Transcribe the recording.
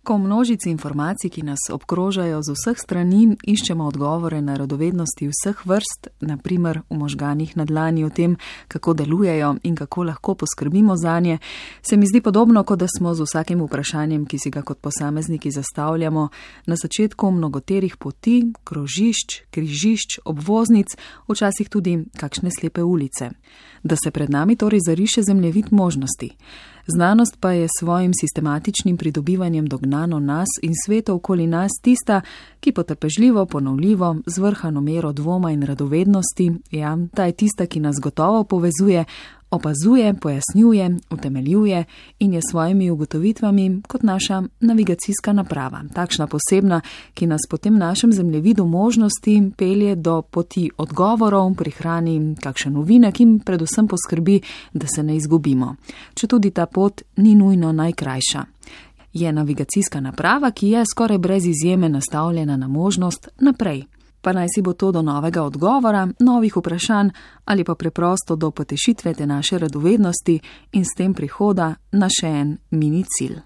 Ko v množici informacij, ki nas obkrožajo z vseh strani, iščemo odgovore na radovednosti vseh vrst, naprimer v možganih na dlani o tem, kako delujejo in kako lahko poskrbimo zanje, se mi zdi podobno, kot da smo z vsakim vprašanjem, ki si ga kot posamezniki zastavljamo, na začetku mnogoterih poti, krožišč, križišč, obvoznic, včasih tudi kakšne slepe ulice. Da se pred nami torej zariše zemljevid možnosti. Znanost pa je s svojim sistematičnim pridobivanjem dognano nas in sveta okoli nas tista, ki potrpežljivo, ponovljivo, z vrhano mero dvoma in radovednosti, ja, ta je tista, ki nas gotovo povezuje, opazuje, pojasnjuje, utemeljuje in je s svojimi ugotovitvami kot naša navigacijska naprava, takšna posebna, ki nas po tem našem zemljevidu možnosti pelje do poti odgovorov, prihrani kakšen novinek in predvsem poskrbi, da se ne izgubimo. Četudi ta pot ni nujno najkrajša. Je navigacijska naprava, ki je skoraj brez izjeme nastavljena na možnost naprej. Pa naj si bo to do novega odgovora, novih vprašanj ali pa preprosto do potešitve te naše radovednosti in s tem prihoda na še en mini cilj.